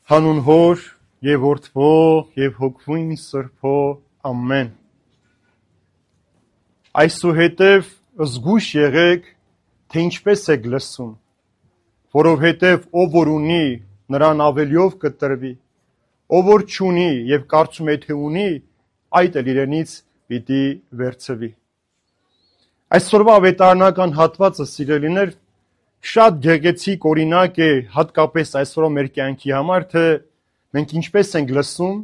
Հանուն Հոր եւ Որդվո եւ Հոգվույն Սրբո ամեն։ Այսուհետև զգույշ եղեք, թե ինչպես եք լսում, որովհետև ով որ ունի, նրան ավելիով կտրվի, ով որ չունի եւ կարծում է թե ունի, այդ էլ իրենից պիտի վերցվի։ Այսօրվա ավետարանական հատվածը, սիրելիներ, շատ գեղեցիկ օրինակ է, հատկապես այսօրվա մեր կյանքի համար, թե մենք ինչպես ենք լսում,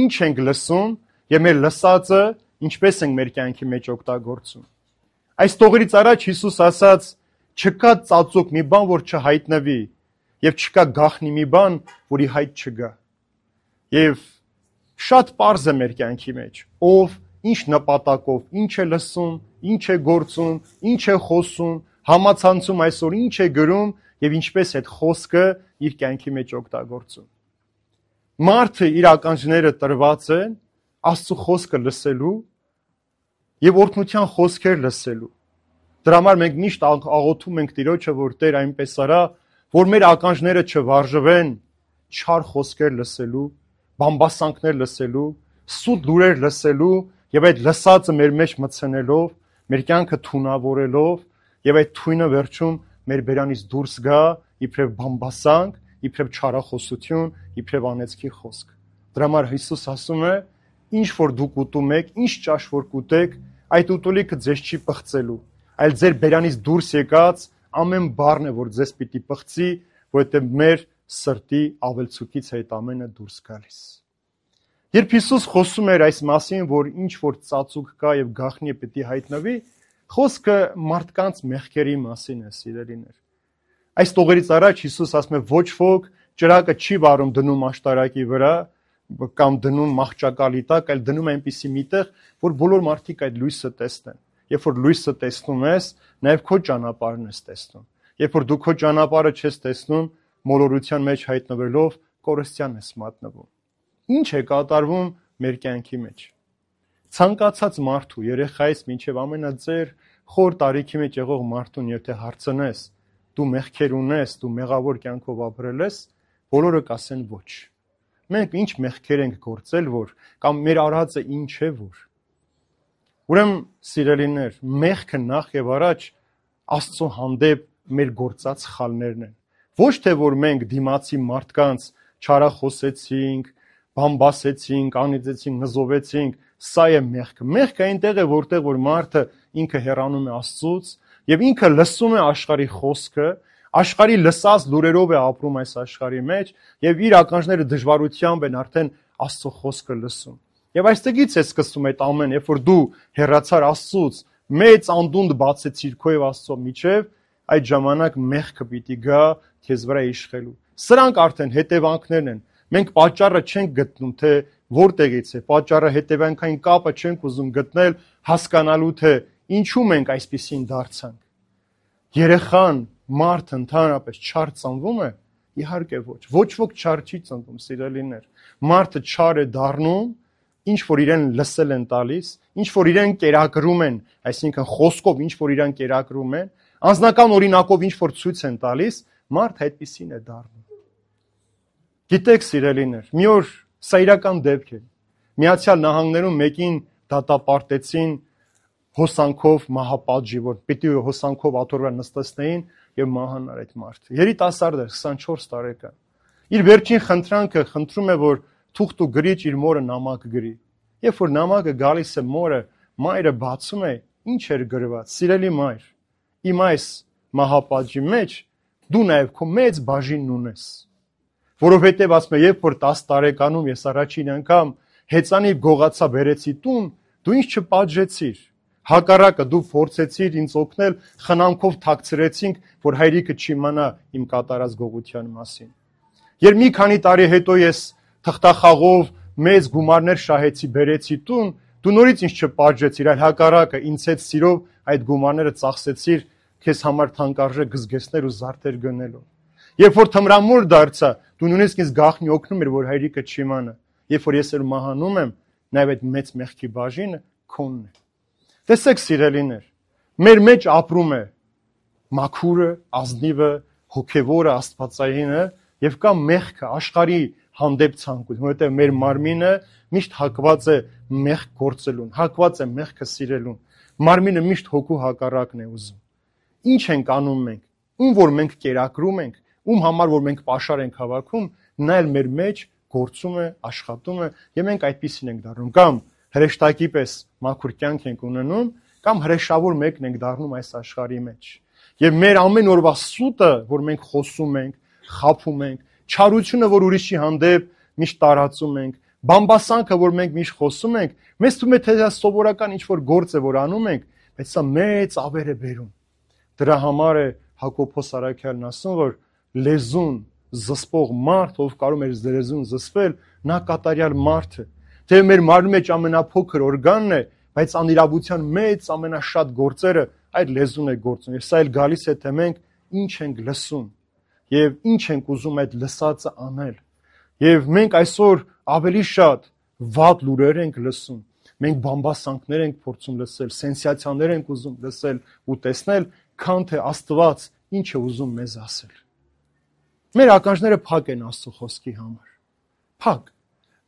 ինչ ենք լսում եւ մեր լսածը ինչպես ենք մեր կյանքի մեջ օգտագործում։ Այս տողերից առաջ Հիսուս ասաց. չկա ծածուկ մի բան, որ չհայտնվի, եւ չկա գաղտնի մի բան, որի հայտ չգա։ Եվ շատ պարզ է մեր կյանքի մեջ, ով ինչ նպատակով, ինչ է լսում, ինչ է գործում, ինչ է խոսում, համացանցում այսօր ինչ է գրում եւ ինչպես այդ խոսքը իր կյանքի մեջ օգտագործում։ Մարդը իր ականջները տրված են Աստծո խոսքը լսելու եւ օրհնության խոսքեր լսելու։ Դրա համար մենք միշտ աղոթում ենք Տիրոջը, որ Տեր այնպես արա, որ մեր ականջները չվարժվեն չար խոսքեր լսելու, բամբասանքներ լսելու, սուտ լուրեր լսելու եւ այդ լսածը մեր մեջ մտցնելով, մեր կյանքը թունավորելով եւ այդ թույնը վերջում մեր բերանից դուրս գա իբրև բամբասանք, իբրև չարախոսություն, իբրև անեծքի խոսք։ Դրա համար Հիսուս ասում է. ինչ որ դուք ուտում եք, ինչ ճաշ որ կուտեք, այդ ուտելիքը ձեզ չի պղծելու, այլ ձեր բերանից դուրս եկած ամեն բառն է, որ ձեզ պիտի պղծի, որովհետև մեր սրտի ավելցուկից այդ ամենը դուրս գալիս։ Երբ Հիսուս խոսում էր այս մասին, որ ինչ որ ծածուկ կա եւ գաղտնի պիտի հայտնվի, խոսքը մարդկանց մեղքերի մասին է, սիրելիներ։ Այս տողերից առաջ Հիսուս ասում է ոչ ոք ճրակը չի վառում դնում աշտարակի վրա կամ դնում մահճակալի տակ, այլ դնում այնպիսի միտեղ, որ բոլոր մարդիկ այդ լույսը տեսնեն։ Երբ որ լույսը տեսնում ես, նաև քո ճանապարհն ես տեսնում։ Երբ որ դու քո ճանապարհը չես տեսնում, մոլորության մեջ հայտնվելով կորստյան ես մատնվում։ Ինչ է կատարվում մեր կյանքի մեջ։ Ցանկացած մարդու, երեխայից մինչև ամենաձեր խոր տարիքի մեջ եղող մարդուն, եթե հարցնես, դու մեղքեր ունես, դու մեղավոր կյանքով ապրել ես, բոլորը կասեն ոչ։ Մենք ինչ մեղքեր ենք գործել, որ կամ մեր արածը ինչ է, որ։ Ուրեմն, սիրելիներ, մեղքը նախ եւ առաջ Աստծո հանդեպ մեր գործած սխալներն են։ Ոչ թե որ մենք դիմացի մարդկանց չարախոսեցինք, բամբասեցինք, անիծեցինք, նզովեցինք, սա է մեղքը։ Մեղքը այնտեղ է, որտեղ որ մարդը ինքը հեռանում է Աստծուց եւ ինքը լսում է աշխարհի խոսքը, աշխարհի լսած լուրերով է ապրում այս աշխարհի մեջ եւ իր ականջները դժվարությամբ են արդեն Աստծո խոսքը լսում։ Եվ այստեղից է սկսվում այդ ամեն, երբ որ դու հեռացար Աստծուց, մեծ անդունդ բացեցիր քո եւ Աստծո միջև, այդ ժամանակ մեղքը պիտի գա քեզ վրա իշխելու։ Սրանք արդեն հետևանքներն են։ Մենք պատճառը չենք գտնում, թե որտեղից է, պատճառը հետևանքային կապը չենք ուզում գտնել, հասկանալու թե ինչու մենք այսպեսին դարձանք։ Երեխան, մարդը ընդհանրապես չար ծնվում է, իհարկե ոչ։ Ոչ ոք չար չի ծնվում, սիրելիներ։ Մարդը չար է դառնում, ինչ որ իրեն լսել են տալիս, ինչ որ իրեն կերակրում են, այսինքն խոսքով ինչ որ իրեն կերակրում են, անձնական օրինակով ինչ որ ցույց են տալիս, մարդը այդպեսին է դառնում։ Գիտեք, սիրելիներ, մի օր սա իրական դեպք է։ Միացյալ Նահանգներում մեկին դատապարտեցին հոսանքով մահապատժի, որ պիտի հոսանքով աթոռ նստեցնեին եւ մահանար այդ մարդը։ Երիտասարդ էր, 24 տարեկան։ Իր վերջին խնդրանքը խնդրում է, որ թուղթ ու գրիչ իր մորը նամակ գրի։ Երբ որ նամակը գալիս է մորը, մայրը բացում է, ինչ էր գրված. Սիրելի մայր, իմ այս մահապատժի մեջ դու նաեւ քո մեծ բաժինն ունես։ Որովհետեւ ասում է, երբ որ 10 տարեկանում ես առաջին անգամ հեծանիվ գողացա բերեցի տուն, դու ինձ չպատժեցիր։ Հակառակը դու փորձեցիր ինձ օգնել, խնամքով թաքցրեցինք, որ հայրիկը չիմանա իմ կատարած գողության մասին։ Երբ մի քանի տարի հետո ես թղթախաղով մեծ գումարներ շահեցի, բերեցի տուն, դու նորից ինձ չպատժեցիր, այլ հակառակը ինձ հետ սիրով այդ գումարները ծախսեցիր քեզ համար թանկարժեք գզգեսներ ու զարդեր գնելով։ Երբ որ թմրամուր դարձա, դու նույնիսկ ինձ գաղտնի օգնում էր, որ հայրիկը չիմանա։ Երբ որ ես մահանում եմ, նաև այդ մեծ մեղքի բաժինը քոնն է։ Տեսեք, սիրելիներ, մեր մեջ ապրում է մաքուրը, ազնիվը, հոգևորը, աստվածայինը Եվ կա մեղքը, աշխարհի հանդեպ ցանկություն, որովհետև մեր մարմինը միշտ հակված է մեղք գործելուն, հակված է մեղքը սիրելուն։ Մարմինը միշտ հոգու հակառակն է ուզում։ Ինչ ենք անում մենք, ում որ մենք կերակրում ենք, ում համար որ մենք պաշար ենք հավաքում, նա էլ մեր մեջ գործում է, աշխատում է, եւ մենք այդպիսին ենք դառնում։ Կամ հրեշտակի պես մաքուր կյանք ենք ունենում, կամ հրեշավոր մեկն ենք դառնում այս աշխարհի մեջ։ Եվ մեր ամեն օրվա սուտը, որ մենք խոսում ենք, խաբում ենք, չարությունը, որ ուրիշի հանդեպ միշտ տարածում ենք, բամբասանքը, որ մենք միշտ խոսում ենք, մեզ թվում է թե դա սովորական ինչ-որ գործ է, որ անում ենք, բայց սա մեծ ավեր է բերում։ Դրա համար է Հակոբոս Արաքյալն ասում, որ լեզուն զսպող մարդ, ով կարող է լեզուն զսպել, նա կատարյալ մարդ է։ Թե մեր մարմնի մեջ ամենափոքր օրգանն է, բայց անիրավության մեծ ամենաշատ գործերը այդ լեզուն է գործում։ Եվ սա էլ գալիս է, թե մենք ինչ ենք լսում եւ ինչ ենք ուզում այդ լսածը անել։ Եվ մենք այսօր ավելի շատ վատ լուրեր ենք լսում։ Մենք բամբասանքներ ենք փորձում լսել, սենսացիաներ ենք ուզում լսել ու տեսնել, քան թե Աստված ինչ է ուզում մեզ ասել։ Մեր ականջները փակ են Աստծո խոսքի համար։ Փակ։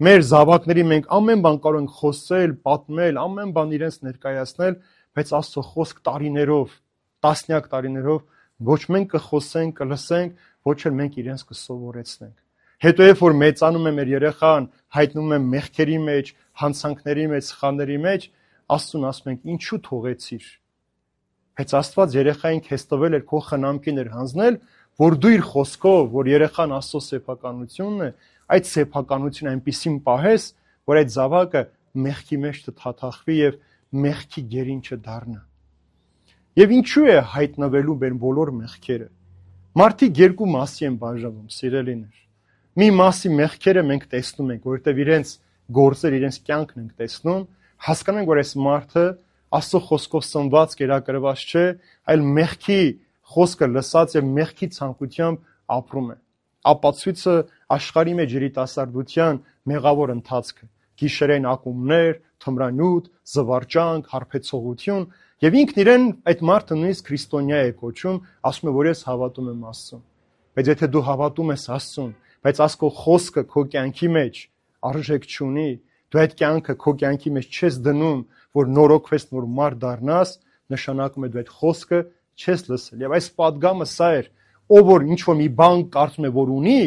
Մեր զավակների մենք ամեն բան կարող ենք խոսել, պատմել, ամեն բան իրենց ներկայացնել, բայց Աստծո խոսք տարիներով, տասնյակ տարիներով ոչ մենք կխոսենք, կլսենք, ոչ էլ մենք իրենց կսովորեցնենք։ Հետո երբ որ մեծանում է մեր երեխան, հայտնվում է մեղքերի մեջ, հանցանքների մեջ, սխալների մեջ, Աստծուն ասում ենք ինչու թողեցիր։ Բայց Աստված երեխային քեզ տվել էր քո խնամքին էր հանձնել, որ դու իր խոսքով, որ երեխան Աստծո սեփականությունն է, այդ սեփականությունը այնպեսին պահես, որ այդ զավակը մեղքի մեջ չթաթախվի եւ մեղքի գերին չդառնա։ Եվ ինչու է հայտնվելու մեր բոլոր մեղքերը։ Մարդիկ երկու մասի են բաժանվում, սիրելիներ։ Մի մասի մեղքերը մենք տեսնում ենք, որովհետև իրենց գործեր, իրենց կյանքն ենք տեսնում, հասկանում ենք, որ այս մարդը Աստծո խոսքով սնված, կերակրված չէ, այլ մեղքի խոսքը լսած եւ մեղքի ցանկությամբ ապրում է։ Ապացույցը աշխարհի մեջ երիտասարդության մեղավոր ընթացքը, գիշերային ակումբներ, թմրանյութ, զվարճանք, հարբեցողություն, եւ ինքն իրեն այդ մարդը նույնիսկ քրիստոնյա է կոչում, ասում է, որ ես հավատում եմ Աստծուն։ Բայց եթե դու հավատում ես Աստծուն, բայց Աստծո խոսքը քո կյանքի մեջ արժեք չունի, դու այդ կյանքը քո կյանքի մեջ չես դնում, որ նորոգվես, նոր մարդ դառնաս, նշանակում է դու այդ խոսքը չես լսել։ Եվ այս պատգամը սա էր, ով որ ինչ որ մի բան կարծում է, որ ունի,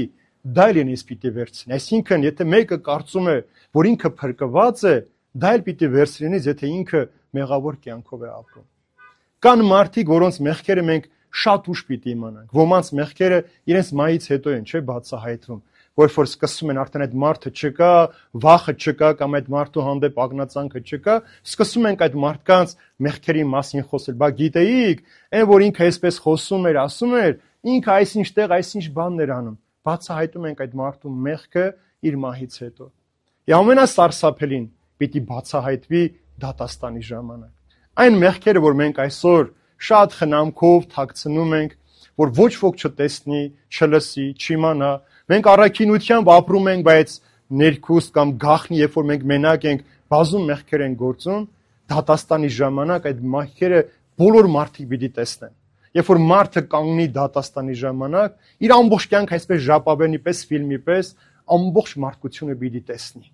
դա էլ ինձ պիտի վերցնի։ Այսինքն, եթե մեկը կարծում է, որ ինքը փրկված է, դա էլ պիտի վերցնի, եթե ինքը մեղավոր կյանքով է ապրում։ Կան մարդիկ, որոնց մեղքերը մենք շատ ուշ պիտի իմանանք։ Ոմանց մեղքերը իրենց մահից հետո են, չէ, բացահայտվում, որ սկսում են արդեն այդ մարդը չկա, վախը չկա կամ այդ մարդու հանդեպ ագնացանքը չկա, սկսում ենք այդ մարդկանց մեղքերի մասին խոսել։ Բա գիտեիք, այն որ ինքը այսպես խոսում էր, ասում էր, ինքը այսինչ տեղ, այսինչ բաններ անում։ Բացահայտում ենք այդ մարդու մեղքը իր մահից հետո։ Եվ ամենասարսափելին պիտի բացահայտվի դատաստանի ժամանակ։ Այն մեղքերը, որ մենք այսօր շատ խնամքով թաքցնում ենք, որ ոչ ոք չտեսնի, չլսի, չիմանա, մենք առաքինությամբ ապրում ենք, բայց ներքուստ կամ գաղտնի, երբ որ մենք մենակ ենք, բազում մեղքեր են գործում, դատաստանի ժամանակ այդ մեղքերը բոլոր մարդիկ պիտի տեսնեն։ Երբ որ մարդը կանգնի դատաստանի ժամանակ, իր ամբողջ կյանքը այսպես ժապավենի պես, ֆիլմի պես, ամբողջ մարդկությունը պիտի տեսնի։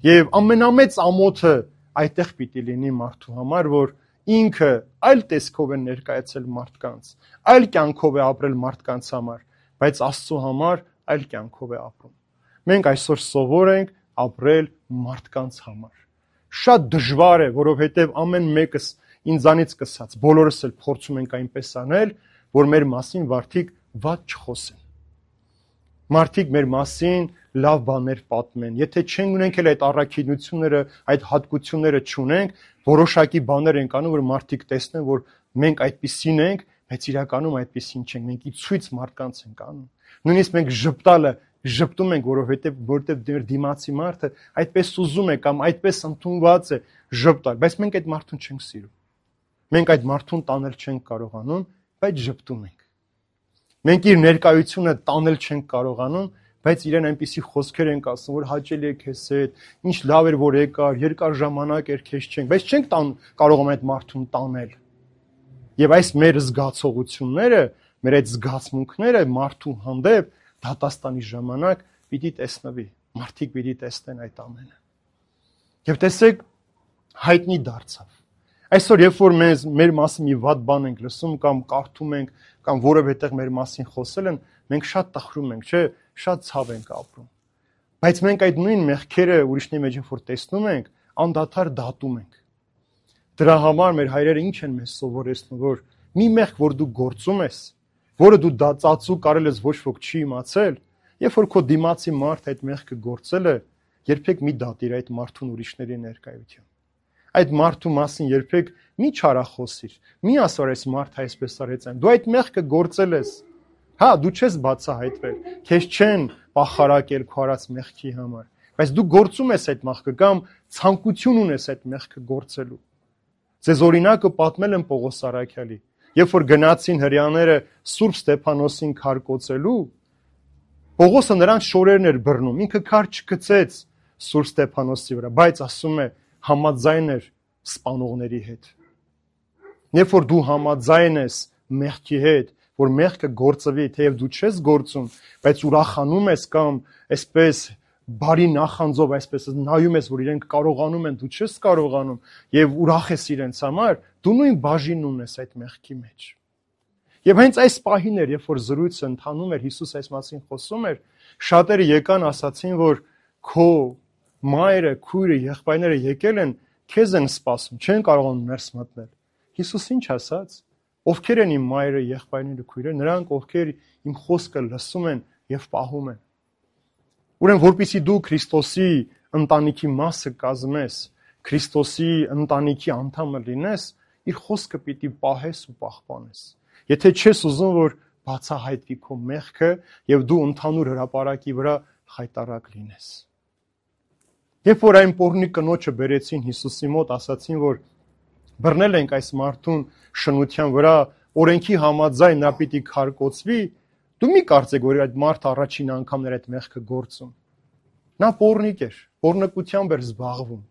Եվ ամենամեծ ամոթը այդտեղ պիտի լինի մարդու համար, որ ինքը այլ տեսքով է ներկայացել մարդկանց, այլ կյանքով է ապրել մարդկանց համար, բայց Աստծո համար այլ կյանքով է ապրում։ Մենք այսօր սովոր ենք ապրել մարդկանց համար։ Շատ դժվար է, որովհետև ամեն մեկս ինձանից սկսած, բոլորս էլ փորձում ենք այնպես անել, որ մեր մասին մարդիկ վատ չխոսեն։ Մարդիկ մեր մասին լավ բաներ պատմեն։ Եթե չենք ունենք էլ այդ առաքինությունները, այդ հատկությունները չունենք, որոշակի բաներ ենք անում, որ մարդիկ տեսնեն, որ մենք այդպիսին ենք, բայց իրականում այդպիսին չենք։ Մենք ի ցույց մարդկանց ենք անում։ Նույնիսկ մենք ժպտալը ժպտում ենք, որովհետև դիմացի մարդը այդպես ուզում է կամ այդպես ընդունված է ժպտալ, բայց մենք այդ մարդուն չենք սիրում։ Մենք այդ մարդուն տանել չենք կարողանում, բայց ժպտում ենք։ Մենք իր ներկայությունը տանել չենք կարողանում, բայց իրեն այնպիսի խոսքեր ենք ասում, որ հաճելի է քեզ հետ, ինչ լավ էր որ եկար, երկար ժամանակ էր քեզ չենք, բայց չենք կարողանում այդ մարդուն տանել։ Եվ այս մեր զգացողությունները, մեր այդ զգացմունքները մարդու հանդեպ դատաստանի ժամանակ պիտի տեսնվի, մարդիկ պիտի տեսնեն այդ ամենը։ Եվ տեսեք, հայտնի դարձավ։ Այսօր երբ որ մեր մասին մի վատ բան ենք լսում կամ կարդում ենք կամ որևէ տեղ մեր մասին խոսել են, մենք շատ տխրում ենք, չէ, շատ ցավ ենք ապրում։ Բայց մենք այդ նույն մեղքերը ուրիշների մեջ որ տեսնում ենք, անդադար դատում ենք։ Դրա համար մեր հայրերը ինչ են մեզ սովորեցնում, որ մի մեղք, որ դու գործում ես, որը դու ծածու կարել ես ոչ ոք չի իմացել, երբ որ քո դիմացի մարդ այդ մեղքը գործել է, երբեք մի դատիր այդ մարդուն ուրիշների ներկայությամբ։ Այդ մարդու մասին երբեք մի չարախոսիր, մի ասոր այս մարդը այսպես արեց այն։ Դու այդ մեղքը գործել ես։ Հա, դու չես բացահայտվել, քեզ չեն պախարակել քո արած մեղքի համար, բայց դու գործում ես այդ մեղքը կամ ցանկություն ունես այդ մեղքը գործելու։ Ձեզ օրինակը պատմել եմ Պողոս Արաքյալի, երբ որ գնացին հրեաները Սուրբ Ստեփանոսին քարկոծելու, Պողոսը նրանց շորերն էր բռնում, ինքը քար չգցեց Սուրբ Ստեփանոսի վրա, բայց ասում է համաձայն էր սպանողների հետ։ Երբ որ դու համաձայն ես մեղքի հետ, որ մեղքը գործվի, թեև դու չես գործում, բայց ուրախանում ես կամ այսպես բարի նախանձով այսպես նայում ես, որ իրենք կարողանում են, դու չես կարողանում եւ ուրախ ես իրենց համար, դու նույն բաժինն ունես այդ մեղքի մեջ։ Եվ հենց այս պահին էր, երբ որ զրույցը ընթանում էր, Հիսուս այս մասին խոսում էր, շատերը եկան ասացին, որ քո մայրը, քույրը, եղբայրները եկել են, քեզ են սպասում, չեն կարողանում ներս մտնել։ Հիսուս ինչ ասաց։ Ովքեր են իմ մայրը, եղբայրները, քույրերը, նրանք ովքեր իմ խոսքը լսում են եւ պահում են։ Ուրեմն որպեսզի դու Քրիստոսի ընտանիքի մասը կազմես, Քրիստոսի ընտանիքի անդամը լինես, իր խոսքը պիտի պահես ու պահպանես։ Եթե չես ուզում, որ բացահայտվի քո մեղքը եւ դու ընդհանուր հրապարակի վրա խայտարակ լինես։ Երբ որ այն պոռնի կնոջը բերեցին Հիսուսի մոտ, ասացին, որ բռնել ենք այս մարդուն շնության վրա, օրենքի համաձայն նա պիտի քարկոծվի, դու մի կարծեք, որ այդ մարդը առաջին անգամն էր այդ մեղքը գործում։ Նա պոռնիկ էր, պոռնկությամբ էր զբաղվում։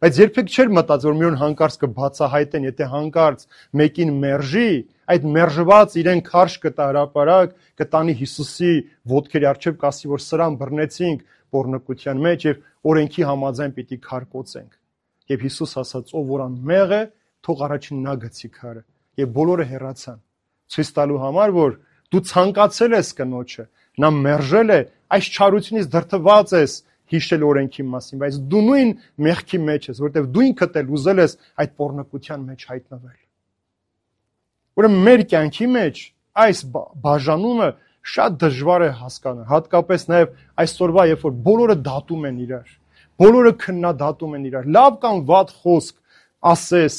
Բայց երբեք չէր մտածել, որ մի օր հանկարծ կբացահայտեն, եթե հանկարծ մեկին մերժի, այդ մերժված իրեն քարշ կտա հրապարակ, կտանի Հիսուսի ոտքերի առջև, կասի, որ սրան բռնեցինք պոռնկության մեջ եւ օրենքի համաձայն պիտի քարկոծենք։ Եվ Հիսուս ասաց, ով որ անմեղ է, թող առաջին նա գցի քարը։ Եվ բոլորը հեռացան, ցույց տալու համար, որ դու ցանկացել ես կնոջը, նա մերժել է, այս չարությունից դրդված ես հիշել օրենքի մասին, բայց դու նույն մեղքի մեջ ես, որտեղ դու ինքդ էլ ուզել ես այդ պոռնկության մեջ հայտնվել։ Ուրեմն մեր կյանքի մեջ այս բաժանումը շատ դժվար է հասկանալ, հատկապես նաև այսօրվա, երբ որ բոլորը դատում են իրար, բոլորը քննադատում են իրար, լավ կամ վատ խոսք ասես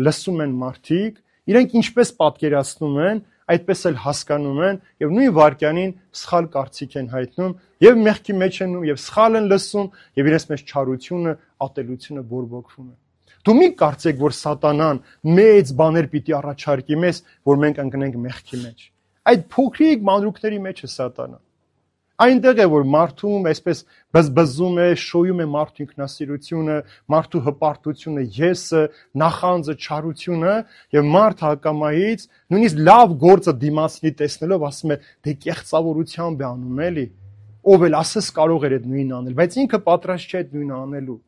լսում են մարդիկ, իրենք ինչպես պատկերացնում են, այդպես էլ հասկանում են եւ նույն վարքյանին սխալ կարծիք են հայտնում եւ մեղքի մեջ են եւ սխալ են լսում եւ իրենց մեջ չարությունը, ատելությունը բորբոքվում է։ Դու մի կարծեք, որ սատանան մեծ բաներ պիտի առաջարկի մեզ, որ մենք ընկնենք մեղքի մեջ։ Այդ փոքրիկ մանրուքների մեջ է սատանան։ Այնտեղ է, որ մարդում այսպես բզբզում է, շոյում է մարդու ինքնասիրությունը, մարդու հպարտությունը, եսը, նախանձը, չարությունը եւ մարդ հակամայից նույնիսկ լավ գործը դիմացնի տեսնելով ասում է դե կեղծավորությամբ է անում էլի, ով էլ ասես կարող էր այդ նույնը անել, բայց ինքը պատրաստ չէ այդ նույնը անելու,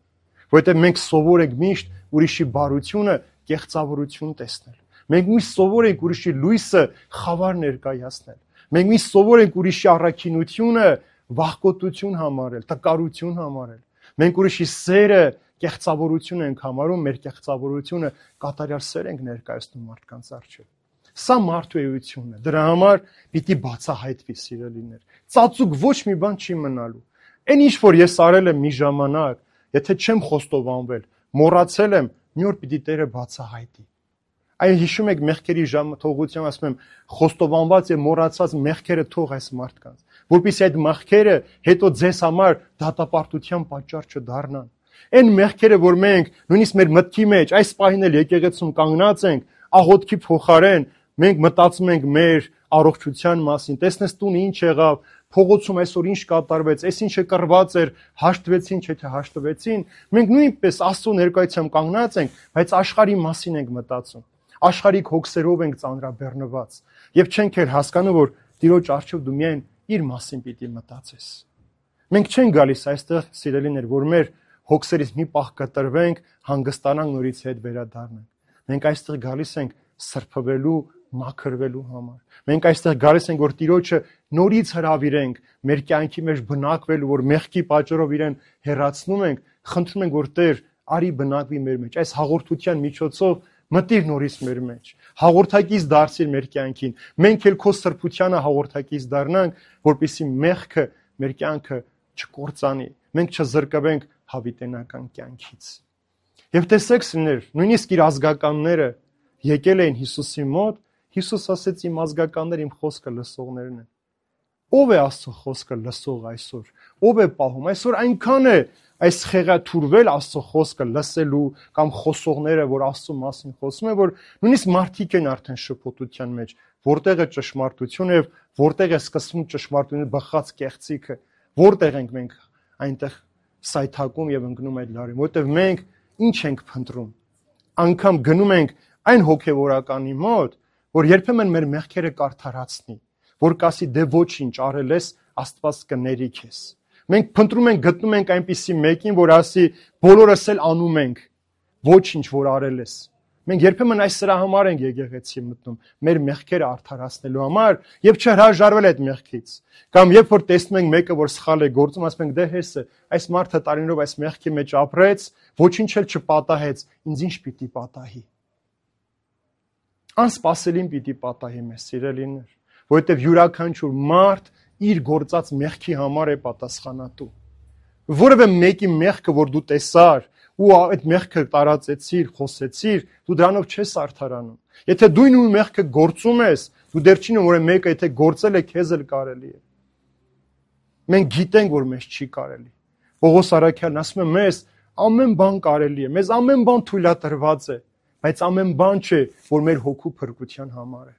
որովհետեւ մենք սովոր ենք միշտ ուրիշի բարությունը կեղծավորություն տեսնել։ Մենք միշտ սովոր ենք ուրիշի լույսը խավար ներկայացնել։ Մենք միշտ սովոր ենք ուրիշի առաքինությունը վախկոտություն համարել, տկարություն համարել։ Մենք ուրիշի սերը կեղծավորություն ենք համարում, մեր կեղծավորությունը կատարյալ սեր ենք ներկայացնում մարդկանց առջև։ Սա մարդու էությունն է։ Դրա համար պիտի բացահայտվի, սիրելիներ։ Ծածուկ ոչ մի բան չի մնալու։ Այն ինչ որ ես արել եմ մի ժամանակ, եթե չեմ խոստովանվել, մոռացել եմ, մի օր պիտի Տերը բացահայտի։ Այն հիշում եք մեղքերի թողության, ասում եմ, խոստովանված եւ մոռացած մեղքերը թող այս մարդկանց, որpիսի այդ մեղքերը հետո ձեզ համար դատապարտության պատճառ չդառնան։ Այն մեղքերը, որ մենք նույնիսկ մեր մտքի մեջ այս պահին էլ եկեղեցում կանգնած ենք, աղոթքի փոխարեն մենք մտածում ենք մեր առողջության մասին, տեսնես տունը ինչ եղավ, փողոցում այսօր ինչ կատարվեց, այս ինչը կռված էր, հաշտվեցին, չէ՞ հաշտվեցին, մենք նույնպես Աստծո ներկայությամբ կանգնած ենք, բայց աշխարհի մասին ենք մտածում։ Աշխարհիկ հոգսերով ենք ծանրաբեռնված եւ չենք էլ հասկանում, որ Տիրոջ առջև դու միայն իր մասին պիտի մտածես։ Մենք չենք գալիս այստեղ, սիրելիներ, որ մեր հոգսերից մի պահ կտրվենք, հանգստանանք, նորից հետ վերադառնանք։ Մենք այստեղ գալիս ենք սրբվելու, մաքրվելու համար։ Մենք այստեղ գալիս ենք, որ Տիրոջը նորից հրավիրենք, մեր կյանքի մեջ բնակվելու, որ մեղքի պատճառով իրեն հեռացնում ենք, խնդրում ենք, որ Տեր արի բնակվի մեր մեջ։ Այս հաղորդության միջոցով մտիր նորից մեր մեջ։ Հաղորդակից դարձիր մեր կյանքին։ Մենք էլ քո սրբությանը հաղորդակից դառնանք, որպեսզի մեղքը մեր կյանքը չկործանի։ Մենք չզրկվենք հավիտենական կյանքից։ Եվ տեսեք, սիրներ, նույնիսկ իր ազգականները եկել էին Հիսուսի մոտ, Հիսուս ասեց իմ ազգականներ իմ խոսքը լսողներն են։ Ո՞վ է Աստծո խոսքը լսող այսօր։ Ո՞վ է պահում։ Այսօր այնքան է այս խեղաթուրվել Աստծո խոսքը լսելու կամ խոսողները, որ Աստծո մասին խոսում են, որ նույնիսկ մարդիկ են արդեն շփոթության մեջ, որտեղ է ճշմարտությունը եւ որտեղ է սկսվում ճշմարտությունը բխած կեղծիքը, որտեղ ենք մենք այնտեղ սայթակում եւ ընկնում այդ լարին, որտեղ մենք ինչ ենք փնտրում։ Անկամ գնում ենք այն հոգեվորականի մոտ, որ երբեմն մեր մեղքերը կարդարացնի, որ կասի դե ոչինչ արել ես, Աստված կների քեզ։ Մենք փնտրում ենք, գտնում ենք այնպիսի մեկին, որ ասի բոլորս էլ անում ենք, ոչինչ որ արել ես։ Մենք երբեմն այս սրա համար ենք եկեղեցի մտնում, մեր մեղքերը արդարացնելու համար եւ չհրաժարվել այդ մեղքից։ Կամ երբ որ տեսնում ենք մեկը, որ սխալ է գործում, ասում ենք դե հեսը, այս մարդը տարիներով այս մեղքի մեջ ապրեց, ոչինչ էլ չպատահեց, ինձ ինչ պիտի պատահի։ Անսպասելին պիտի պատահի մեզ, սիրելիներ, որովհետեւ յուրաքանչյուր մարդ իր գործած մեղքի համար է պատասխանատու։ Որևէ մեկի մեղքը, որ դու տեսար ու այդ մեղքը տարածեցիր, խոսեցիր, դու դրանով չես արդարանում։ Եթե դու նույն մեղքը գործում ես, դու դեռ չի որ մեկը եթե գործել է, քեզ էլ կարելի է։ Մենք գիտենք, որ մեզ չի կարելի։ Պողոս Արաքյալն ասում է մեզ ամեն բան կարելի է, մեզ ամեն բան թույլատրված է, բայց ամեն բան չէ, որ մեր հոգու փրկության համար է։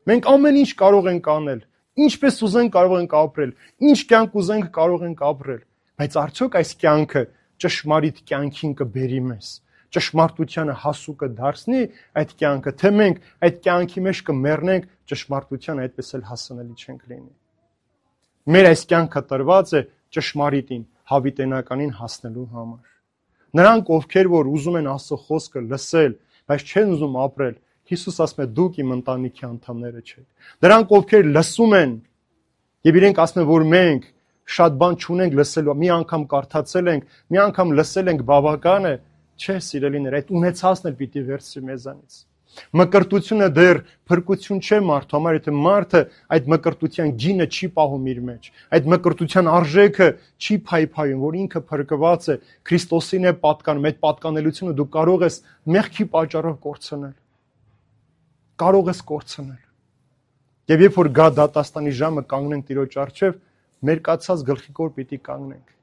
Մենք ամեն ինչ կարող ենք անել, ինչպես ուզենք կարող ենք ապրել, ինչ կյանք ուզենք կարող ենք ապրել, բայց արդյոք այս կյանքը ճշմարիտ կյանքին կբերի մեզ, ճշմարտությանը հասու կդարձնի այդ կյանքը, թե մենք այդ կյանքի մեջ կմեռնենք, ճշմարտությանը այդպես էլ հասանելի չենք լինի։ Մեր այս կյանքը տրված է ճշմարիտին, հավիտենականին հասնելու համար։ Նրանք, ովքեր որ ուզում են Աստծո խոսքը լսել, բայց չեն ուզում ապրել, Հիսուս ասում է դուք իմ ընտանիքի անդամները չեք։ Նրանք, ովքեր լսում են, եւ իրենք ասում են, որ մենք շատ բան չունենք լսելու, մի անգամ կարդացել ենք, մի անգամ լսել ենք, բավական է, չէ, սիրելիներ, այդ ունեցածն էլ պիտի վերցի մեզանից։ Մկրտությունը դեռ փրկություն չէ մարդու համար, եթե մարդը այդ մկրտության գինը չի պահում իր մեջ, այդ մկրտության արժեքը չի փայփայում, որ ինքը փրկված է, Քրիստոսին է պատկանում, այդ պատկանելությունը դու կարող ես մեղքի պատճառով կորցնել։ Կարող ես կորցնել։ Եվ երբ որ գա դատաստանի ժամը կանգնենք Տիրոջ առջև, մերկացած գլխիկոր պիտի կանգնենք։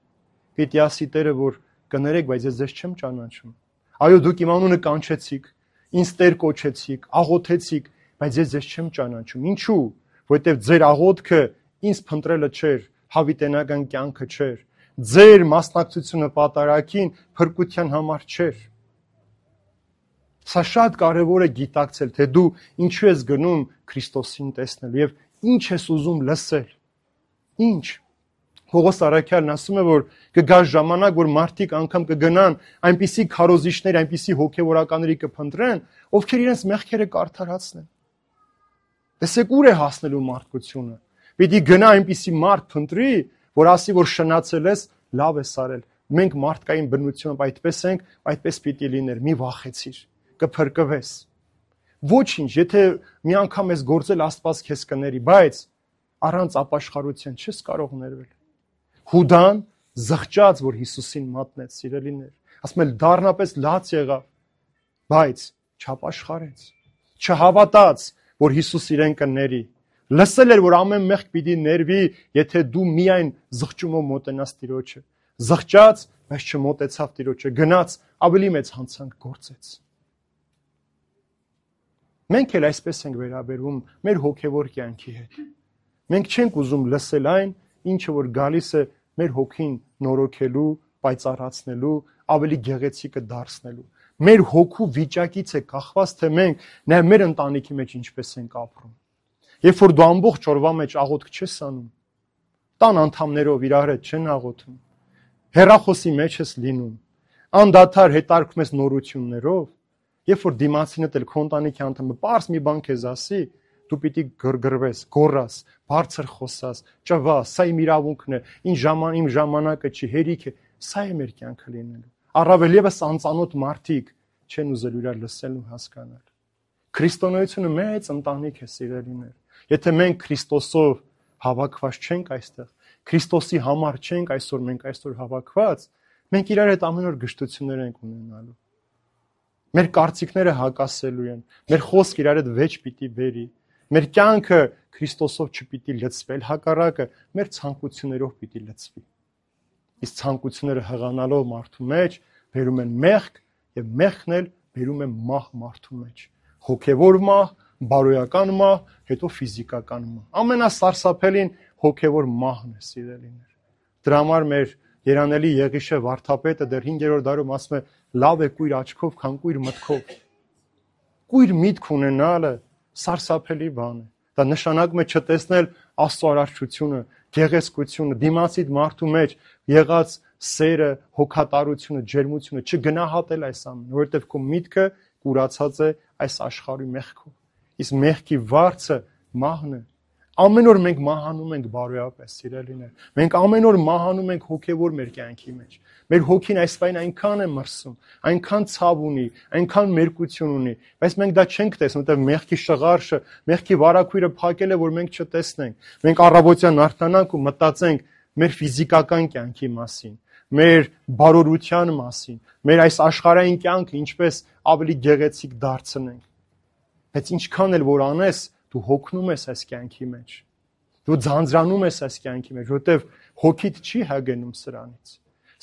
Պիտի ասի Տերը, որ կներեք, բայց ես ձեզ չեմ ճանաչում։ Այո, դուք իմ անունը կանչեցիք, ինձ Տեր կոչեցիք, աղոթեցիք, բայց ես ձեզ չեմ ճանաչում։ Ինչու՞։ Որովհետև ձեր աղոթքը ինձ փնտրելը չէր, հավիտենական կյանքը չէր։ Ձեր մասնակցությունը պատարագին փրկության համար չէր։ Սա շատ կարևոր է գիտակցել, թե դու ինչու ես գնում Քրիստոսին տեսնելու եւ ինչ ես ուզում լսել։ Ինչ։ Պողոս Արաքյալն ասում է, որ կգա ժամանակ, որ մարդիկ անգամ կգնան այնպիսի քարոզիչներ, այնպիսի հոգեվորականների կփնտրեն, ովքեր իրենց մեղքերը կարդարացնեն։ Տեսեք ուր է հասնելու մարդկությունը։ Պիտի գնա այնպիսի մարդ փնտրի, որ ասի, որ շնացել ես, լավ ես արել։ Մենք մարդկային բնությամբ այդպես ենք, այդպես պիտի լիներ, մի վախեցիր, կփրկվես։ Ոչինչ, եթե մի անգամ ես գործել, Աստված քեզ կների, բայց առանց ապաշխարության չես կարող ներվել։ Հուդան զղջաց, որ Հիսուսին մատնեց, սիրելիներ, ասում է դառնապես լաց եղավ, բայց չապաշխարեց, չհավատաց, որ Հիսուս իրեն կների։ Լսել էր, որ ամեն մեղք պիտի ներվի, եթե դու միայն զղջումով մոտենաս Տիրոջը։ Զղջաց, բայց չմոտեցավ Տիրոջը, գնաց ավելի մեծ հանցանք գործեց։ Մենք էլ այսպես ենք վերաբերվում մեր հոգևոր կյանքի հետ։ Մենք չենք ուզում լսել այն, ինչը որ գալիս է մեր հոգին նորոգելու, պայծառացնելու, ավելի գեղեցիկը դարձնելու։ Մեր հոգու վիճակից է կախված, թե մենք նաև մեր ընտանիքի մեջ ինչպես ենք ապրում։ Երբ որ դու ամբողջ օրվա մեջ աղոթք չես անում, տան անդամներով իրար հետ չեն աղոթում, հեռախոսի մեջ ես լինում, անդադար հետարկում ես նորություններով, երբ որ դիմացինդ էլ քո ընտանիքի անդամը պարզ մի բան քեզ ասի, դու պիտի գրգռվես, գոռաս, բարձր խոսաս, ճվաս, սա իմ իրավունքն է, իմ ժամանակը չի, հերիք է, սա է մեր կյանքը լինելու։ Առավել ևս անծանոթ մարդիկ չեն ուզել իրար լսել ու հասկանալ։ Քրիստոնեությունը մեծ ընտանիք է, սիրելիներ։ Եթե մենք Քրիստոսով հավաքված չենք այստեղ, Քրիստոսի համար չենք այսօր հավաքված, մենք իրար հետ ամեն օր գժտություններ ենք ունենալու։ Մեր կարծիքները հակասելու են, մեր խոսքը իրար հետ վեճ պիտի բերի, մեր կյանքը Քրիստոսով չպիտի լցվել, հակառակը մեր ցանկություններով պիտի լցվի։ Իսկ ցանկությունները հղանալով մարդու մեջ բերում են մեղք եւ մեղքն էլ բերում է մահ մարդու մեջ։ Հոգևոր մահ, բարոյական մահ, հետո ֆիզիկական մահ։ Ամենասարսափելին հոգևոր մահն է, սիրելիներ։ Դրա համար մեր երանելի Եղիշե վարդապետը դեռ 5-րդ դարում ասում է. լավ է կույր աչքով, քան կույր մտքով։ Կույր միտք ունենալը սարսափելի բան է։ Դա նշանակում է չտեսնել Աստծո արարչությունը, գեղեցկությունը, դիմացիդ մարդու մեջ եղած սերը, հոգատարությունը, ջերմությունը, չգնահատել այս ամենը, որովհետև քո միտքը կուրացած է այս աշխարհի մեղքով։ Իսկ մեղքի վարձը մահն է։ Ամեն օր մենք մահանում ենք բարոյապես, սիրելիներ։ Մենք ամեն օր մահանում ենք հոգևոր մեր կյանքի մեջ։ Մեր հոգին այսպայն այնքան է մրսում, այնքան ցավ ունի, այնքան մերկություն ունի, բայց մենք դա չենք տեսնում, որտեղ մեղքի շղարշը, մեղքի վարակույրը փակել է, որ մենք չտեսնենք։ Մենք առավոտյան արթնանանք ու մտածենք մեր ֆիզիկական կյանքի մասին, մեր բարօրության մասին, մեր այս աշխարհային կյանքը ինչպես ավելի գեղեցիկ դարձնենք։ Բայց ինչքան էլ որ անես, դու հոգնում ես այս կյանքի մեջ։ Դու ձանձրանում ես այս կյանքի մեջ, որովհետև հոգիդ չի հագնում սրանից։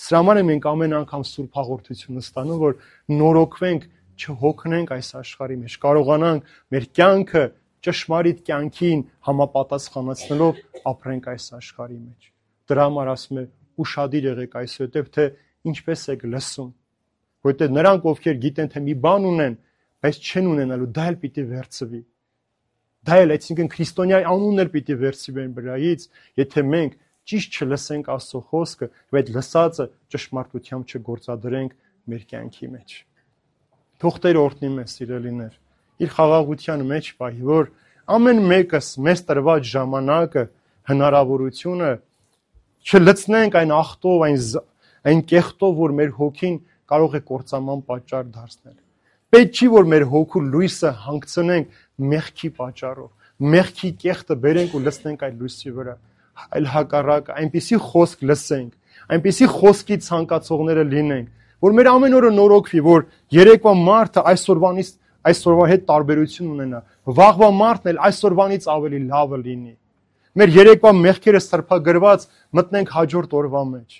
Սրա համար մենք ամեն անգամ սուրբ հաղորդությունը ստանում, որ նորոգվենք, չհոգնենք այս աշխարհի մեջ, կարողանանք մեր կյանքը ճշմարիտ կյանքին համապատասխանեցնելով ապրենք այս աշխարհի մեջ։ Դրա համար ասում է ուշադիր եղեք այսուհետև, թե ինչպես եք լսում, որովհետև նրանք, ովքեր գիտեն, թե մի բան ունեն, բայց չեն ունենալու, դա էլ պիտի վերցվի։ Դա էլ, այսինքն քրիստոնյայի անունն էլ պիտի վերցվի մեր վրայից, եթե մենք ճիշտ չլսենք Աստծո խոսքը, եւ այդ լսածը ճշմարտությամբ չգործադրենք մեր կյանքի մեջ։ Թող Տերը օրհնի մեզ, սիրելիներ, իր խաղաղության մեջ պահի, որ ամեն մեկս մեզ տրված ժամանակը, հնարավորությունը չլցնենք այն ախտով, այն կեղտով, որ մեր հոգին կարող է կործանման պատճառ դարձնել։ Պետք չի, որ մեր հոգու լույսը հանգցնենք մեղքի պատճառով, մեղքի կեղտը բերենք ու լցնենք այդ լույսի վրա, այլ հակառակը, այնպիսի խոսք լսենք, այնպիսի խոսքի ցանկացողները լինենք, որ մեր ամեն օրը նորոգվի, որ երեկվա մարդը այսօրվա հետ տարբերություն ունենա, վաղվա մարդն էլ այսօրվանից ավելի լավը լինի։ Մեր երեկվա մեղքերը սրբագրված մտնենք հաջորդ օրվա մեջ։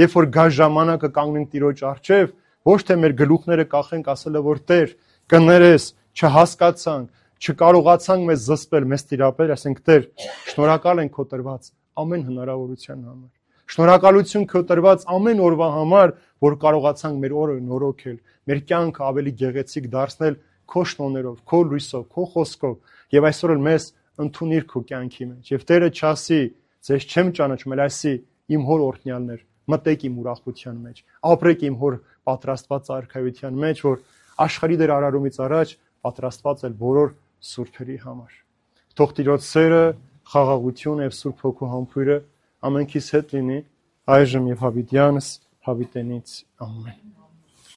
Երբ որ գա ժամանակը կանգնենք Տիրոջ առջև, ոչ թե մեր գլուխները կախենք ասելը, որ Տեր, կներես, չհասկացանք, չկարողացանք մեզ զսպել, մեզ տիրապել, ասենք Տեր, շնորհակալ ենք քո տրված ամեն հնարավորության համար։ Շնորհակալություն քո տրված ամեն օրվա համար, որ կարողացանք մեր օրը նորոգել, մեր կյանքը ավելի գեղեցիկ դարձնել քո շնորհներով, քո լույսով, քո խոսքով, եւ այսօր էլ մեզ ընդունիր քո կյանքի մեջ։ Եվ Տերը չասի, ձեզ չեմ ճանաչում, այլ ասի, իմ հոր օրհնյալներ, մտեք իմ ուրախության մեջ, ապրեք իմ հոր պատրաստված արքայության մեջ, որ աշխարհի դեր արարումից առաջ պատրաստված էլ բոլոր սուրբերի համար։ Թող Տիրոջ սերը, խաղաղությունը եւ Սուրբ Հոգու համբույրը ամենքիս հետ լինի այժմ եւ հավիտյանս հավիտենից ամեն։